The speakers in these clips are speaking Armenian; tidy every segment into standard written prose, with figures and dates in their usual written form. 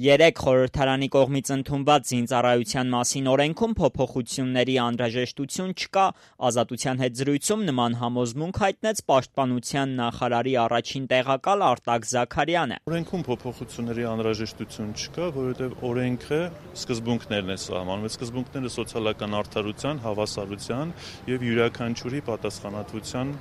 Երեկ խորհրդարանի կողմից ընդունված զինծառայության մասին օրենքում փոփոխությունների անհրաժեշտություն չկա, Ազատության հետ զրույցում նման համոզմունք հայտնեց Պաշտպանության նախարարի առաջին տեղակալ Արտակ Զաքարյանը։ Օրենքում փոփոխությունների անհրաժեշտություն չկա, որովհետև օրենքը սկզբունքներն է սահմանում, այդ սկզբունքները սոցիալական արդարության, հավասարության եւ յուրաքանչյուրի պատասխանատվության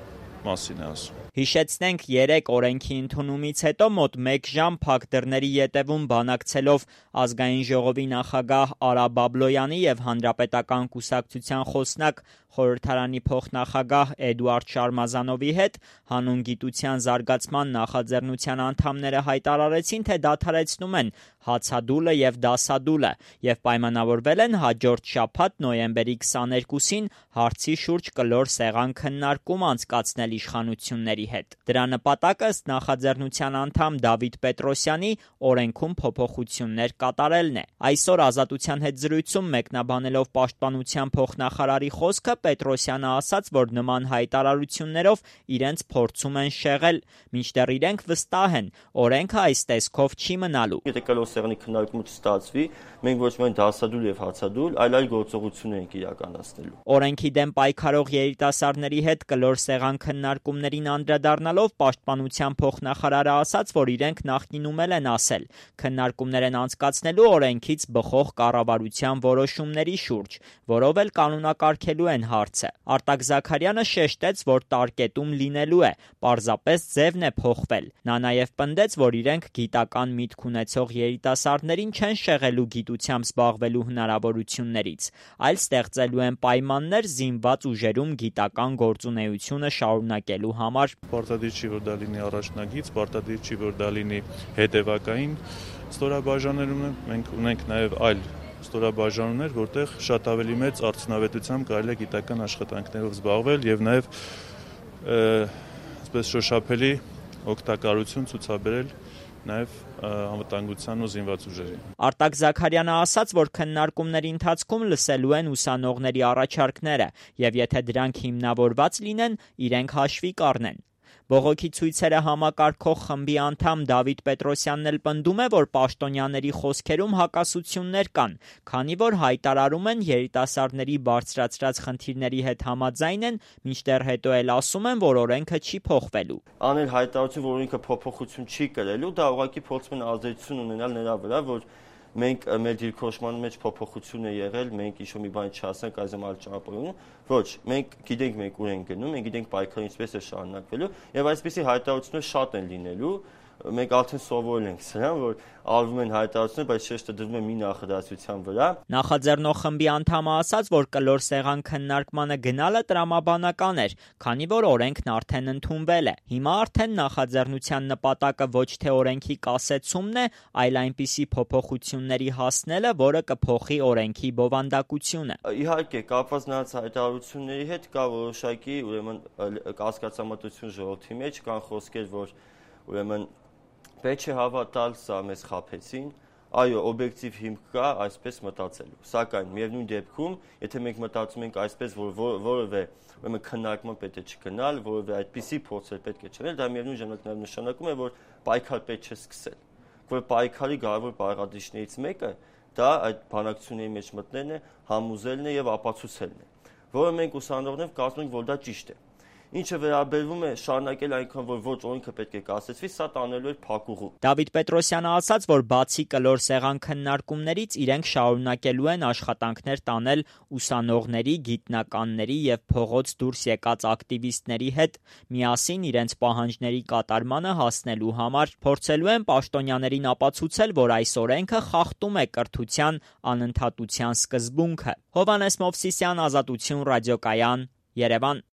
մասին է ասում։ Հիշեցնենք, երեկ օրենքի ընդունումից հետո մոտ 1 ժամ փակ դռների ետևում բանակցելով Ազգային ժողովի նախագահ Արա Բաբլոյանի եւ Հանրապետական կուսակցության խոսնակ խորհրդարանի փոխնախագահ Էդուարդ Շարմազանովի հետ հանուն գիտության զարգացման նախաձեռնության անդամները հայտարարեցին, թե դադարեցնում են հացադուլը եւ դասադուլը եւ պայմանավորվել են հաջորդ շաբաթ նոյեմբերի 22-ին հարցի շուրջ կլոր սեղան քննարկում անցկացնել իշխանությունների հետ։ Դրա նպատակը ըստ նախաձեռնության անդամ Դավիթ Պետրոսյանի օրենքում փոփոխություններ կատարելն է։ Այսօր Ազատության հետ զրույցում մեկնաբանելով Պաշտպանության փոխնախարարի խոսքը Պետրոսյանը ասաց, որ նման հայտարարություններով իրենց փորձում են շեղել, մինչդեռ իրենք վստահ են, օրենքը այս տեսքով չի մնալու։ Եթե կլոր սեղանի քննարկումը չստացվի, մենք ոչ միայն դասադուլ եւ հացադուլ, այլ գործողություններ ենք իրականացնելու։ Օրենքի դեմ պայքարող երիտասարդների հետ կլոր սեղան քննարկումներին անդրադառնալով Պաշտպանության փոխնախարարը ասաց, որ իրենք նախկինում են ասել, քննարկումներ են անցկացնելու օրենքից բխող կառավարության որոշումների շուրջ, որով էլ կանոնակարգելու են հարցը։ Արտակ Զաքարյանը շեշտեց, որ տարկետում լինելու է, պարզապես ձևն է փոխվել։ Նա նաև պնդեց, որ իրենք գիտական միտք ունեցող երիտասարդներին չեն շեղելու գիտությամբ զբաղվելու հնարավորություններից, այլ ստեղծելու են պայմաններ զինված ուժերում գիտական գործունեությունը շարունակելու համար։ Պարտադիր չի, որ դա լինի առաջնագիծ, պարտադիր չի, որ դա լինի հետևակային ստորաբաժանումներ, մենք ունենք նաև այլ ստորաբաժանումներ, որտեղ շատ ավելի մեծ արդյունավետությամբ կարելի է գիտական աշխատանքներով զբաղվել եւ նաեւ այսպես շոշափելի օգտակարություն ցուցաբերել նաև անվտանգության ու զինված ուժերին։ Արտակ Զաքարյանը ասաց, որ քննարկումների ընթացքում լսելու են ուսանողների առաջարկները եւ եթե դրանք հիմնավորված լինեն, իրենք հաշվի կառնեն։ Բողոքի ցույցերը համակարգող խմբի անդամ Դավիթ Պետրոսյանն էլ պնդում է, որ պաշտոնյաների խոսքերում հակասություններ կան, քանի որ հայտարարում են երիտասարդների բարձրացրած խնդիրների հետ համաձայն են, մինչդեռ հետո էլ ասում են, որ օրենքը չի փոխվելու։ Անել հայտարարություն, որ օրենքը փոփոխություն չի կրելու, դա ուղղակի փորձում են ազդեցություն ունենալ նրա վրա, որ մենք մեր դիրքորոշման մեջ փոփոխություն է եղել, մենք ինչ-որ մի բան չասենք այժմ այլ ճանապարհում, ոչ, մենք գիտենք մենք ուր ենք գնում, մենք գիտենք պայքարը ինչպես է շարունակվելու եւ այսպիսի հայտարարություններ շատ են լինելու, մենք արդեն սովորել ենք սրան, որ արվում են հայտարարություններ, բայց շեշտը դրվում է մի նախադասության վրա։ Նախաձեռնող խմբի անդամը ասաց, որ կլոր սեղան քննարկմանը գնալը տրամաբանական էր, քանի որ օրենքն արդեն ընդունվել է։ Հիմա արդեն նախաձեռնության նպատակը ոչ թե օրենքի կասեցումն է, այլ այնպիսի փոփոխությունների հասնելը, որը կփոխի օրենքի բովանդակությունը։ Իհարկե, կապված նրանց հայտարարությունների հետ կա որոշակի, ուրեմն կասկածամտություն ժողովրդի մեջ, կան խոսքեր, որ ուրեմն պետք չէ հավատալ, սա մեզ խաբեցին, այո, օբյեկտիվ հիմք կա այսպես մտածելու։ Սակայն միևնույն դեպքում, եթե մենք մտածում ենք այսպես, որ որևէ ուրեմն քննարկման պետք է չգնալ, որևէ այդպիսի փորձեր պետք է չանել, դա միևնույն ժամանակ նաև նշանակում է, որ պայքար պետք չէ սկսել։ Որ պայքարի կարևոր բաղադրիչներից մեկը դա այդ բանակցությունների մեջ մտնելն է, համոզելն է եւ ապացուցելն է, որը մենք ուսանողներով կարծում ենք, որ դա ճիշտ է։ Ինչը վերաբերվում է շարունակել այնքան, որ ոչ օրենքը պետք է կասեցվի, սա տանելու էր փակուղու։ Դավիթ Պետրոսյանը ասաց, որ բացի կլոր սեղան քննարկումներից իրենք շարունակելու են աշխատանքներ տանել ուսանողների, գիտնականների եւ փողոց դուրս եկած ակտիվիստների հետ, միասին իրենց պահանջների կատարմանը հասնելու համար փորձելու են պաշտոնյաներին ապացուցել, որ այս օրենքը խախտում է կրթության անընդհատության սկզբունքը։ Հովհաննես Մովսիսյան, Ազատություն ռադիոկայան, Երևան։